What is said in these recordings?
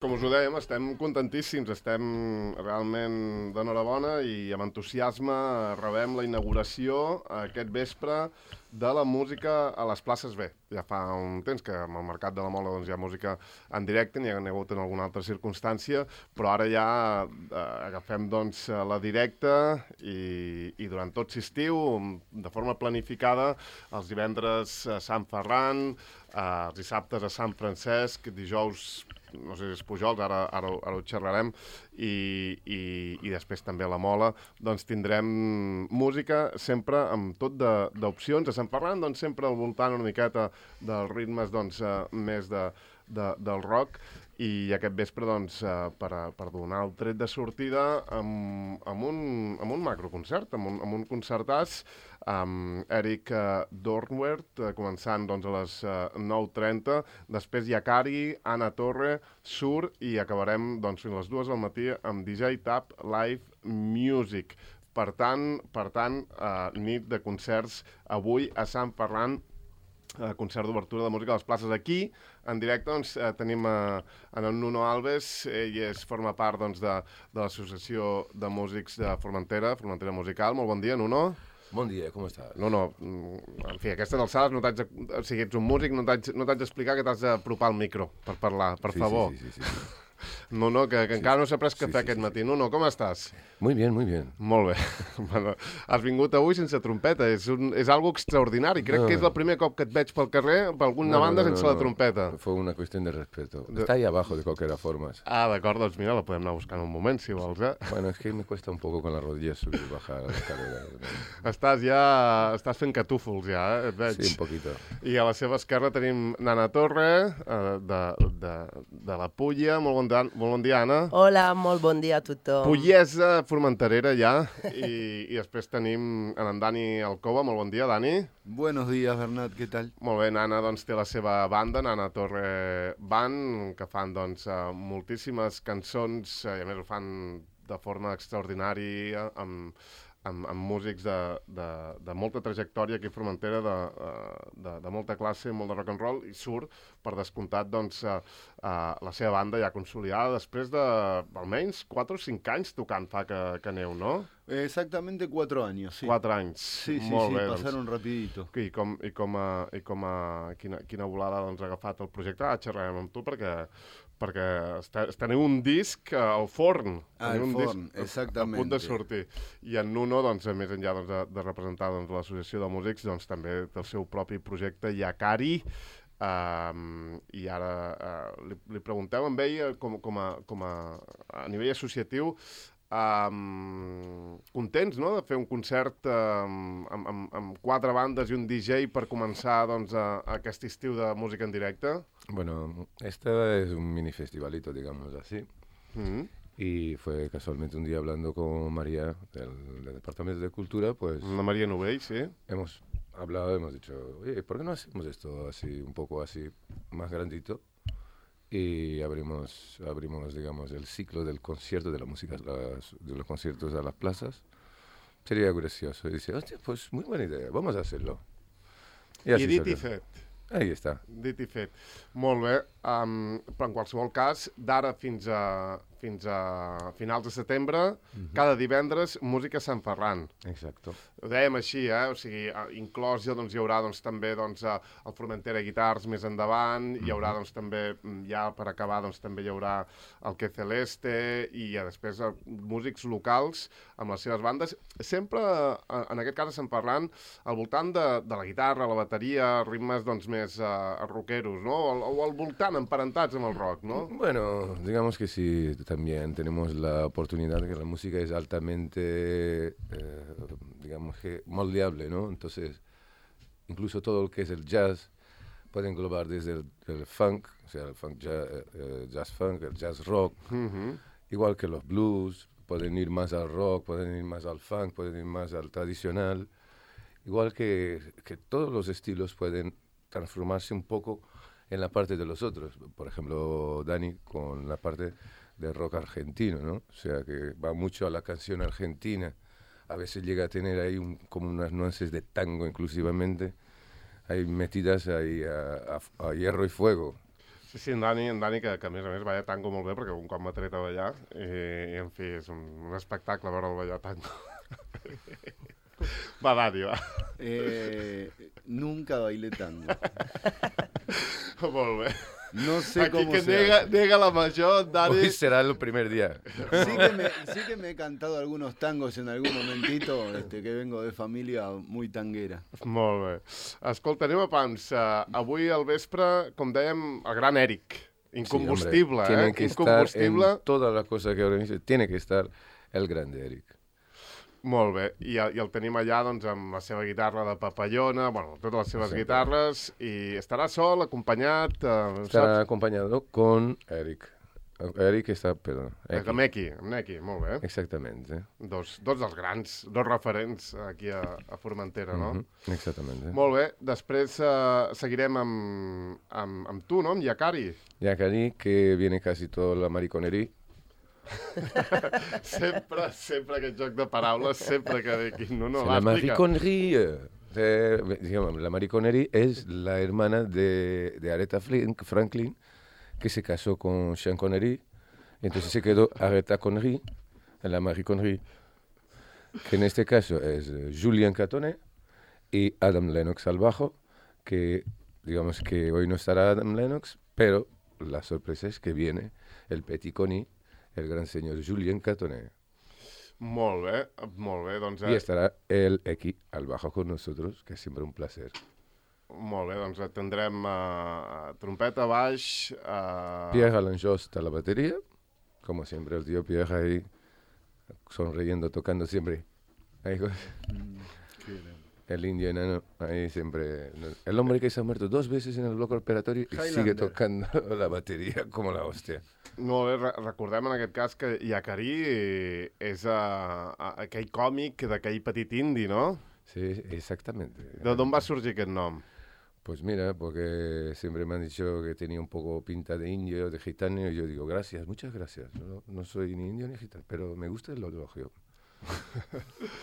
Com us ho dèiem, estem contentíssims, estem realment d'enhorabona i amb entusiasme rebem la inauguració aquest vespre de la música a les places B. Ja fa un temps que amb el Mercat de la Mola doncs, hi ha música en directe, n'hi ha hagut en alguna altra circumstància, però ara ja agafem doncs, la directa i durant tot l'estiu, de forma planificada, els divendres a Sant Ferran, els dissabtes a Sant Francesc, dijous no sé si és Pujols, ara ho xerrarem, i després també a la Mola, doncs tindrem música sempre amb tot d'opcions. A Sant Ferran, doncs sempre al voltant una miqueta dels ritmes doncs, més del rock, i aquest vespre, doncs, per donar el tret de sortida amb un macroconcert, amb un concertàs, amb Eric Dornwert, començant doncs, a les 9:30, després Yakari, Anna Torre, Sur, i acabarem doncs, fins a les 2 del matí amb DJ Tap Live Music. Per tant, nit de concerts avui a Sant Ferran, concert d'obertura de música a les places. Aquí, en directe, doncs, tenim en Nuno Alves. Ell forma part doncs, de l'Associació de Músics de Formentera Musical. Molt bon dia, Nuno. Bon dia, com estàs? Nuno, en fi, a aquestes alçades no t'haig de... O sigui, ets un músic, no t'haig d'explicar que t'has d'apropar al micro per parlar, per favor. Sí. Nuno, que encara no s'ha pres cafè aquest matí. Nuno, com estàs? Muy bien, muy bien. Molt bé. Bueno, has vingut avui sense trompeta. És algo extraordinari. Crec que és el primer cop que et veig pel carrer, per alguna banda, sense la trompeta. Fue una cuestión de respeto. Está ahí abajo, de cualquier forma. Ah, d'acord, doncs mira, la podem anar buscant un moment, si vols, eh? Bueno, es que me cuesta un poco con las rodillas subir y bajar la escalera. Estàs fent catúfols, ja, et veig. Sí, un poquito. I a la seva esquerra tenim Nana Torre, de la Pulla. Molt bon dia, Anna. Hola, molt bon dia a tothom. Pullesa, formenterera, ja. I després tenim en Dani Alcoba. Molt bon dia, Dani. Buenos días, Bernat, què tal? Molt bé, Nana doncs, té la seva banda, Nana Torre Band, que fan doncs, moltíssimes cançons, i a més ho fan de forma extraordinària, amb músics de molta trajectòria aquí a Formentera, de molta classe, molt de rock and roll, i Sur, per descomptat, doncs, la seva banda ja consolidada després d'almenys 4 o 5 anys tocant fa que aneu, no? Exactamente 4 años, sí. 4 anys. Sí, molt bé, pasaron rapidito. I quina volada doncs, ha agafat el projecte? Xerrarem amb tu perquè teniu un disc al forn. Al forn, exactament. A punt de sortir. I en Nuno, doncs, més enllà de representar doncs, l'Associació de Músics, doncs, també té el seu propi projecte, Yakari, i ara li pregunteu amb ell com a nivell associatiu, contents, no?, de fer un concert amb 4 bandes i un DJ per començar doncs, aquest estiu de música en directe? Bueno, este es un mini festivalito, digamos así. Y fue casualmente un día hablando con María del Departamento de Cultura, pues... Una María Novell, sí. Hemos hablado, hemos dicho, oye, ¿por qué no hacemos esto así, un poco así, más grandito? Y abrimos, digamos, el ciclo del concierto de la música, de los conciertos a las plazas. Sería gracioso. Y dice, hostia, pues muy buena idea, vamos a hacerlo. I dit i fet. Ahí està. Dit i fet. Molt bé, però en qualsevol cas, d'ara fins a finals de setembre, cada divendres, música a Sant Ferran. Exacto. Ho dèiem així, o sigui, inclòs ja doncs, hi haurà doncs, també doncs, el Formentera Guitars més endavant, hi haurà doncs, també, ja per acabar, doncs, també hi haurà el Que Celeste, i després músics locals amb les seves bandes, sempre, en aquest cas a Sant Ferran, al voltant de la guitarra, la bateria, ritmes doncs, més rockeros, no? O al voltant, emparentats amb el rock, no? Bueno, digamos que sí, también tenemos la oportunidad de que la música es altamente, digamos que moldeable, ¿no? Entonces, incluso todo lo que es el jazz puede englobar desde el funk, o sea, el funk jazz funk, el jazz rock, igual que los blues, pueden ir más al rock, pueden ir más al funk, pueden ir más al tradicional, igual que todos los estilos pueden transformarse un poco en la parte de los otros. Por ejemplo, Dani con la parte de rock argentino, ¿no? O sea, que va mucho a la canción argentina. A veces llega a tener ahí como unas nuances de tango inclusivamente, ahí metidas ahí a hierro y fuego. Sí, en Dani, que a més a més balla tango molt bé, perquè un cop m'ha tret a ballar, i en fi, és un espectacle veure'l ballar tango. Va, Dani, va. Nunca bailé tango. Molt bé. No sé Aquí cómo que se hace. nega la major, Dani. Hoy será el primer día. Sí que me he cantado algunos tangos en algún momentito, que vengo de familia muy tanguera. Molt bé. Escolta, anem a pams. Avui al vespre, com dèiem, el gran Eric. Incombustible, sí, hombre, tiene que Incombustible. estar en toda la cosa que organiza, tiene que estar el grande Eric. Molt bé, i el tenim allà doncs, amb la seva guitarra de papallona, bueno, totes les seves guitarres, i estarà sol, acompanyat... Estará acompañado con Eric. Eric está, perdón. Amb Neki, molt bé. Exactamente. Dos dels grans, dos referents aquí a Formentera, no? Exactamente. Molt bé, després seguirem amb tu, no? Amb Yakari. Yakari, que viene casi toda la mariconería. sempre aquest joc de paraules, sempre que ve aquí. No, la mariconería. Digamos, la mariconería es la hermana de Aretha Franklin, que se casó con Sean Connery, entonces se quedó Aretha Connery, la mariconería, que en este caso es Julian Catonet y Adam Lennox al bajo, que digamos que hoy no estará Adam Lennox, pero la sorpresa es que viene el Petit Conny, el gran señor Julian Catonet. Molt bé, doncs... Y estará él aquí al bajo con nosotros, que es siempre un placer. Molt bé, doncs tindrem trompeta, baix... Pierre Alanjost a la batería, como siempre el tío Pierre ahí, sonriendo, tocando siempre. Ahí, el indio enano, ahí siempre... El hombre que se ha muerto 2 veces en el bloque operatorio y sigue tocando la batería como la hostia. Molt bé, recordem en aquest cas que Yakari és aquell còmic d'aquell petit indi, no? Sí, exactamente. D'on va sorgir aquest nom? Pues mira, porque siempre me han dicho que tenía un poco pinta de indio, de gitano, y yo digo, gracias, muchas gracias. No soy ni indio ni gitano, pero me gusta el elogio.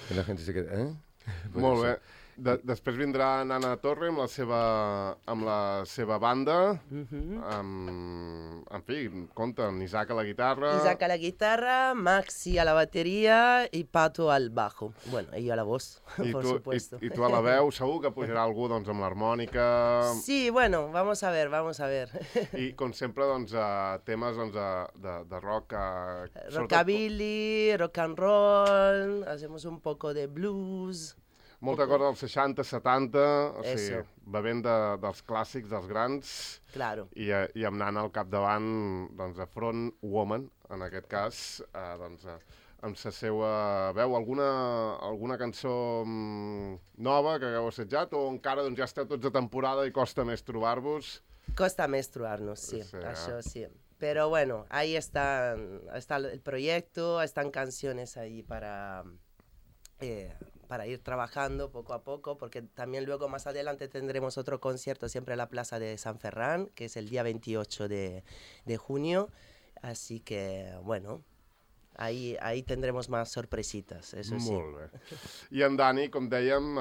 Y la gente se queda, ¿eh? Pues molt bé. Després vindrà Nana Torre amb la seva banda. En fi, compta'm, Isaac a la guitarra. Isaac a la guitarra, Maxi a la batería y Pato al bajo. Bueno, y yo a la voz, por supuesto. I tu a la veu, segur que pujarà algú doncs, amb l'harmònica. Sí, bueno, vamos a ver. I com sempre, doncs, temes doncs, de rock. Rockabilly, rock and roll, hacemos un poco de blues. Molta cosa dels 60, 70, o sigui, bevent dels clàssics, dels grans, claro. i amb Nana al capdavant, doncs, a Front Woman, en aquest cas, doncs, amb la seva veu, alguna cançó nova que hagueu assetjat, o encara doncs, ja esteu tots a temporada i costa més trobar-vos? Costa més trobar-nos, sí, això sí. Pero bueno, ahí está el proyecto, están canciones ahí para ir trabajando poco a poco, porque también luego más adelante tendremos otro concierto siempre en la Plaza de San Ferran, que es el día 28 de junio, así que bueno, ahí tendremos más sorpresitas, eso sí. Molt bé. I en Dani, com dèiem,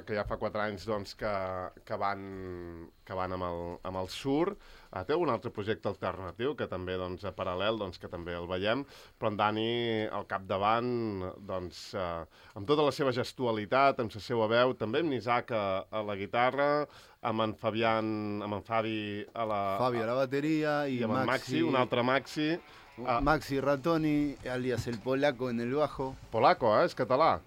que ja fa 4 anys doncs, que van amb el Sur, té un altre projecte alternatiu que també, doncs, paral·lel, doncs, que també el veiem, però en Dani al capdavant, doncs, amb tota la seva gestualitat, amb la seva veu, també amb Isaac a la guitarra, amb en Fabi a la bateria i amb Maxi, un altre Maxi. Maxi Ratoni, alias el polaco en el bajo. Polaco, és català.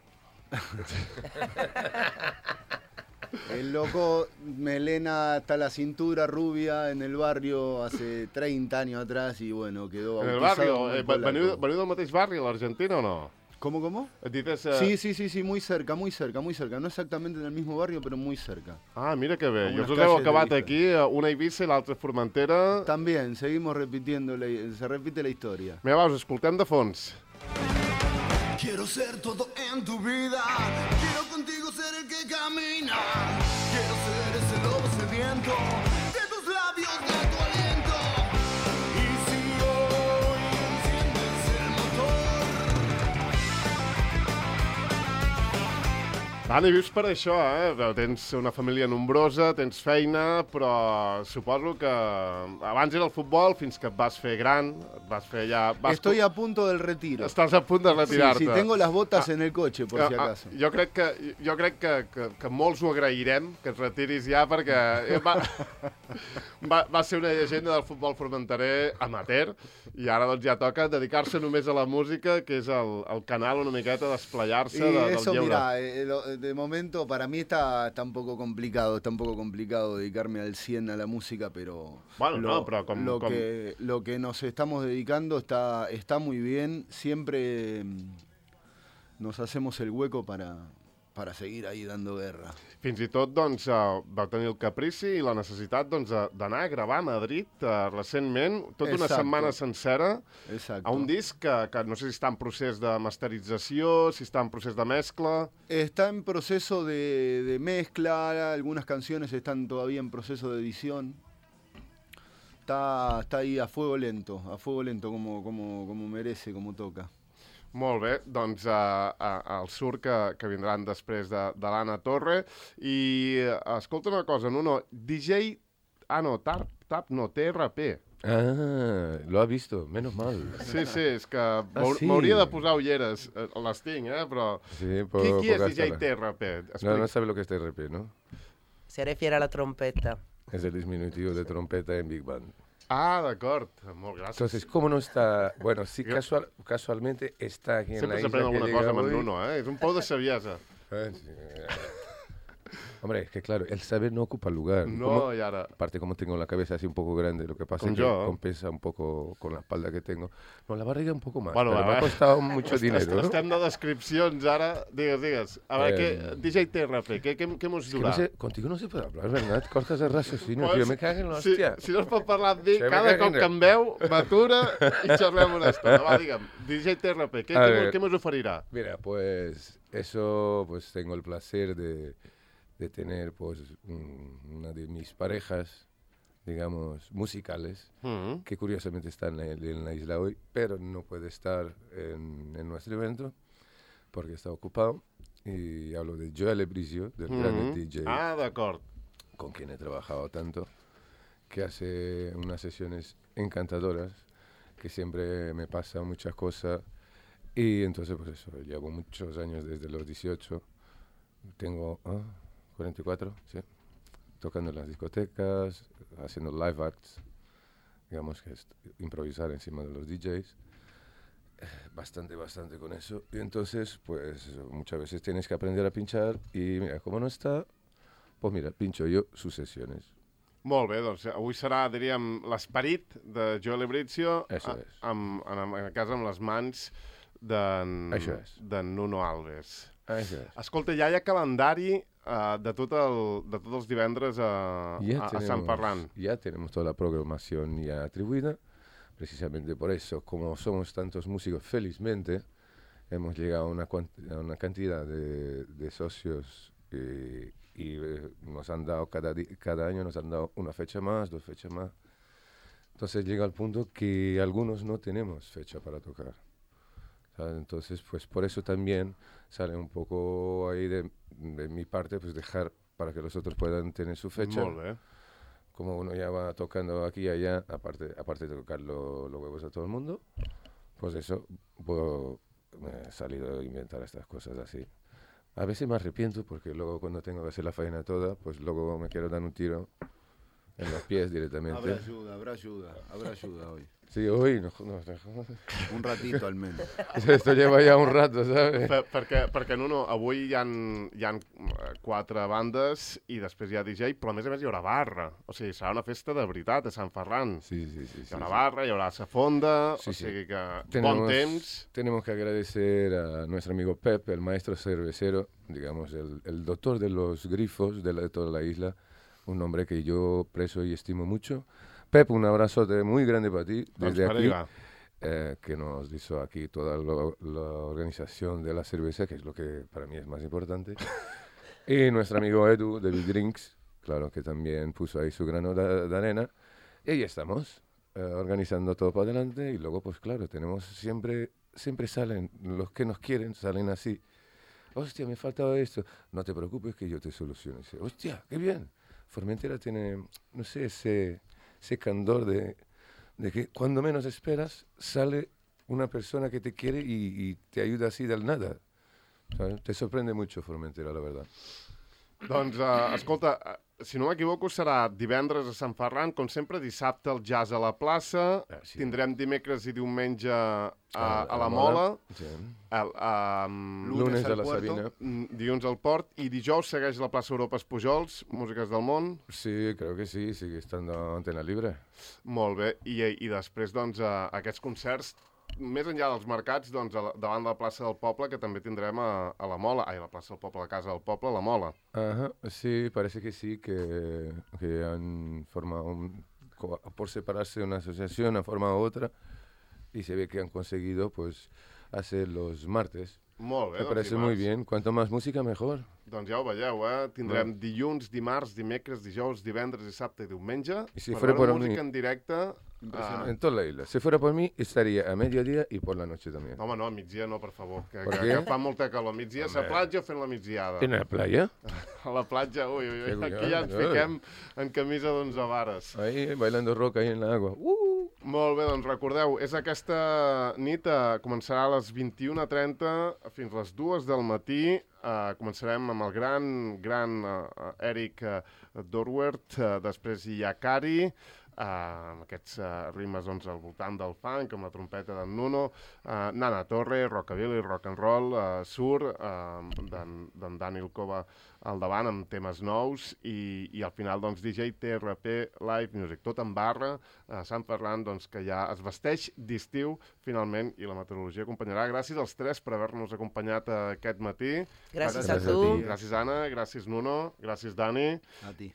El loco, melena hasta la cintura, rubia, en el barrio hace 30 años atrás y bueno, quedó bautizado. En el barrio, veniu del mateix barri, a l'Argentina o no? ¿Cómo? Dices, Sí, muy cerca. No exactamente en el mismo barrio, pero muy cerca. Ah, mira que bé. I els heu acabat aquí, una a Eivissa i l'altra a Formentera. También, seguimos repitiendo, se repite la historia. Mira, va, us escoltem de fons. Quiero ser todo en tu vida, quiero contigo ser el que camina, quiero ser ese lobo sediento de tus labios, de tu aliento. Y si hoy enciendes el motor, Dani, vius per això, Tens una família nombrosa, tens feina, però suposo que abans era el futbol fins que et vas fer gran, et vas fer ja... Estoy a punto del retiro. Estàs a punt de retirar-te. Sí, tengo las botas en el coche, por si acaso. Jo crec que molts ho agrairem, que et retiris ja, perquè va ser una llegenda del futbol formenterer amateur, i ara doncs ja toca dedicar-se només a la música, que és el canal una miqueta d'esplayar-se del eso, lleure. mira, de momento para mí está un poco complicado, dedicarme al 100 a la música, pero bueno, lo que nos estamos dedicando está muy bien. Siempre nos hacemos el hueco para seguir ahí dando guerra. Fins i tot, doncs, vau tenir el caprici i la necessitat d'anar a gravar a Madrid recentment, tota una setmana sencera, a un disc que no sé si està en procés de masterització, si està en procés de mescla... Está en proceso de mezcla, algunas canciones están todavía en proceso de edición. Está ahí a fuego lento, como merece, como toca. Molt bé, doncs el Sur que vindran després de l'Anna Torre. I escolta una cosa, DJ... Tap, TRP. Ah, lo ha visto, menos mal. Sí, és que m'hauria de posar ulleres. Les tinc, però... Sí, qui és DJ TRP? No sabe lo que es TRP, ¿no? Se refiere a la trompeta. Es el disminutivo de trompeta en Big Band. Ah, d'acord. Molt gràcies. Entonces, ¿cómo no está? Bueno, sí, casualmente está aquí en la isla. Sempre s'aprèn alguna cosa amb en Nuno, És un pou de saviesa. Sí. Hombre, es que claro, el saber no ocupa lugar. No, y ahora... Aparte, como tengo la cabeza así un poco grande, lo que pasa es que compensa un poco con la espalda que tengo. No, la barriga un poco más, bueno, pero me ha costado mucho dinero, ¿no? Estem de descripcions ara. Digues. A ver, DJ TRP, ¿qué hemos durado? Es que no sé, contigo no se puede hablar, ¿verdad? Cortas el raciocinio, pues, yo me cago en la hostia. Si no es pot parlar amb mi, cada cop que em veu, m'atura i xerrem una estona. Va, digue'm, DJ TRP, ¿qué nos oferirá? Mira, pues eso, pues tengo el placer de tener pues una de mis parejas, digamos, musicales, que curiosamente está en la isla hoy, pero no puede estar en nuestro evento porque está ocupado. Y hablo de Joel Ebrizio, del gran DJ. Ah, d'acord. Con quien he trabajado tanto, que hace unas sesiones encantadoras, que siempre me pasa muchas cosas. Y entonces, pues eso, llevo muchos años, desde los 18, tengo... 44, sí. Tocando en las discotecas, haciendo live acts, digamos que es improvisar encima de los DJs. Bastante con eso. Y entonces, pues muchas veces tienes que aprender a pinchar y mira, como no está, pues mira, pincho yo sus sesiones. Molt bé, doncs avui serà, diríem, l'esperit de Joel Ebrizio en casa amb les mans d'en Nuno Alves. Escolta, ja hi ha calendari de tots els divendres a Sant Ferran. Ya tenemos toda la programación ya atribuida. Precisamente por eso, como somos tantos músicos, felizmente, hemos llegado a una cantidad de socios y nos han dado, cada año nos han dado una fecha más, 2 fechas más. Entonces llega al punto que algunos no tenemos fecha para tocar. ¿Sabes? Entonces, pues por eso también sale un poco ahí de mi parte, pues dejar para que los otros puedan tener su fecha. Molt bé. Como uno ya va tocando aquí y allá, aparte de tocar los huevos a todo el mundo, pues eso, me he salido a inventar estas cosas así. A veces me arrepiento porque luego cuando tengo que hacer la faena toda, pues luego me quiero dar un tiro en los pies directamente. Habrá ayuda hoy. Sí, hoy no. Un ratito al menos. Esto lleva ya un rato, ¿sabes? Perquè Nuno, avui hi ha 4 bandes i després hi ha DJ, però a més hi haurà barra. O sigui, serà una festa de veritat a Sant Ferran. Sí. Hi haurà barra, hi haurà safonda, o sigui que bon temps. Tenemos que agradecer a nuestro amigo Pep, el maestro cervecero, digamos, el doctor de los grifos de toda la isla, un hombre que yo aprecio y estimo mucho. Pep, un abrazote muy grande para ti desde aquí, que nos hizo aquí toda la organización de la cerveza, que es lo que para mí es más importante. Y nuestro amigo Edu de Big Drinks, claro, que también puso ahí su grano de arena. Y ahí estamos, organizando todo para adelante. Y luego, pues claro, tenemos siempre salen, los que nos quieren salen así. hostia, me faltaba esto. No te preocupes que yo te soluciono. Dice, hostia, qué bien. Formentera tiene, no sé, ese candor de que cuando menos esperas sale una persona que te quiere y te ayuda así del nada. ¿Sabes? Te sorprende mucho Formentera, la verdad. Doncs, escolta, si no m'equivoco, serà divendres a Sant Ferran, com sempre, dissabte el jazz a la plaça, Sí. tindrem dimecres i diumenge a la Mola, Sí. Lunes Lunes a al la Puerto. Sabina. dilluns al Port, i dijous segueix la plaça Europa Espujols, Músiques del Món. Sí, creo que sí, sigue estando Antena Libre. Molt bé, i després, doncs, aquests concerts, més enllà dels mercats, doncs, davant de la plaça del Poble, que també tindrem a la Mola, la plaça del Poble, la Casa del Poble, la Mola. Ajá, sí, parece que sí, que han formado, por separarse una asociación, han formado otra, y se ve que han conseguido, pues, hacer los martes. Molt bé, Me parece muy bien, cuanto más música, mejor. Doncs ja ho veieu, Tindrem dilluns, dimarts, dimecres, dijous, divendres, dissabte i diumenge. I si per fuera veure por música mí- en directe. En toda la isla. Si fuera por mí, estaría a mediodía y por la noche también. Home, no, a migdia no, per favor, que Per que què? fa molta calor. A migdia, a la platja fent la migdiada. ¿En la playa? A la platja, ui, Que aquí ja ens cuidado, fiquem en camisa d'11 vares. Ahí, bailando rock ahí en la agua. Molt bé, doncs recordeu, és aquesta nit, començarà a les 21:30 fins a les 2 del matí. Començarem amb el gran Eric Dorwert, després hi ha Cari, amb aquests rimes doncs, al voltant del funk, amb la trompeta d'en Nuno, Nana Torre, rockabilly, rock and roll, Sur, d'en Daniel Cova al davant amb temes nous i al final doncs, DJ TRP Live Music, tot en barra, Sant Ferran doncs, que ja es vesteix d'estiu finalment i la meteorologia acompanyarà. Gràcies als tres per haver-nos acompanyat aquest matí. Gràcies a a tu. ti. Gràcies Anna, gràcies Nuno, gràcies Dani. A ti.